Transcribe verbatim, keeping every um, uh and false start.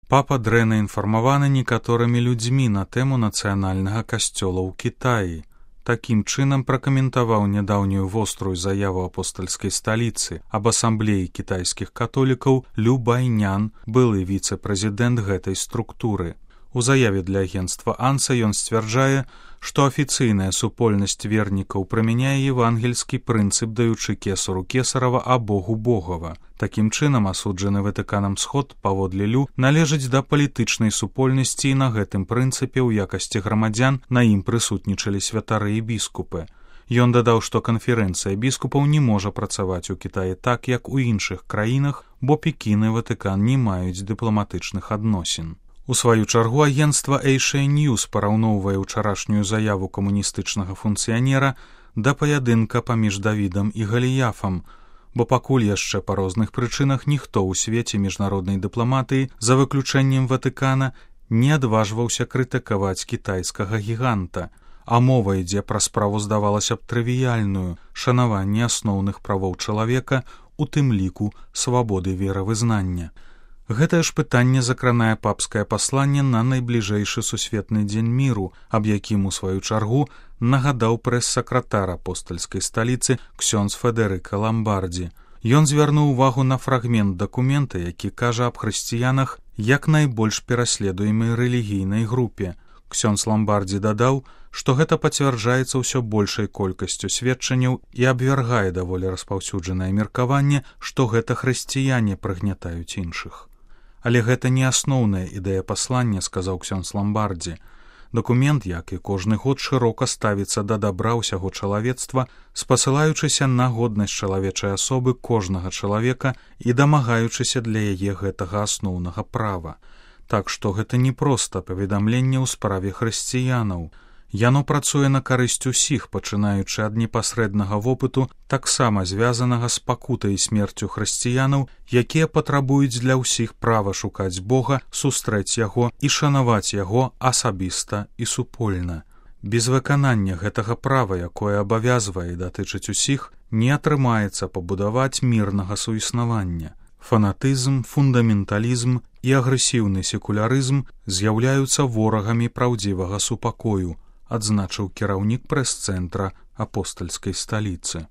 Папа дрэнна інфармаваны некаторымі людзьмі на тэму нацыянальнага касцёла ў Кітаі. Такім чынам пракаментаваў нядаўнюю вострую заяву апостальскай сталіцы аб асамблеі кітайскіх католікаў Лю Байнян, былы віцэ-прэзідэнт гэтай структуры. У заяве для агенцтва Анса ён сцвярджае, што афіцыйная супольнасць вернікаў прымяняе евангельскі прынцып, даючы кесару кесарава, а Богу Богава. Такім чынам асуджаны Ватыканам сход, паводле Лю, належыць да палітычнай супольнасці, і на гэтым прынцыпе ў якасці грамадзян на ім прысутнічалі святары і біскупы. Ён дадаў, што канферэнцыя біскупаў не можа працаваць у Кітаі так, як у іншых краінах, бо Пекін і Ватыкан не маюць дыпламатычных адносін. У сваю чаргу агенцтва Asia News параўноўвае ўчарашнюю заяву камуністычнага функцыянера да паядынка паміж Давідам і Галіяфам, бо пакуль яшчэ па розных прычынах ніхто ў свеце міжнароднай дыпламатыі, за выключэннем Ватыкана, не адважваўся крытыкаваць кітайскага гіганта, а мова ідзе пра справу, здавалася б, трывіяльную, шанаванне асноўных правоў чалавека, у тым ліку свабоды веравызнання. Гэтае ж пытанне закранае папскае пасланне на найбліжэйшы сусветны дзень міру, аб якім у сваю чаргу нагадаў прэс-сакратар апостальскай сталіцы ксёндз Федэрыка Ламбардзі. Ён звярнуў увагу на фрагмент дакумента, які кажа аб хрысціянах як найбольш пераследуемай рэлігійнай групе. Ксёндз Ламбардзі дадаў, што гэта пацвярджаецца ўсё большай колькасцю сведчанняў і абвяргае даволі распаўсюджанае меркаванне, што гэта хрысціяне прыгнятаюць іншых. Але гэта не асноўная ідэя паслання, сказаў ксёндз Ламбардзі. Дакумент, як і кожны год, шырока ставіцца да дабра ўсяго чалавецтва, спасылаючыся на годнасць чалавечай асобы кожнага чалавека і дамагаючыся для яе гэтага асноўнага права. Так што гэта не проста паведамленне ў справе хрысціянаў. Яно працуе на карысць усіх, пачынаючы ад непасрэднага вопыту, таксама звязанага з пакутай і смерцю хрысціянаў, якія патрабуюць для ўсіх права шукаць Бога, сустрэць яго і шанаваць яго асабіста і супольна. Без выканання гэтага права, якое абавязвае і датычыць усіх, не атрымаецца пабудаваць мірнага суіснавання. Фанатызм, фундаменталізм і агрэсіўны секулярызм з'яўляюцца ворагамі праўдзівага супакою, адзначыў кіраўнік прэс-цэнтра апостальскай сталіцы.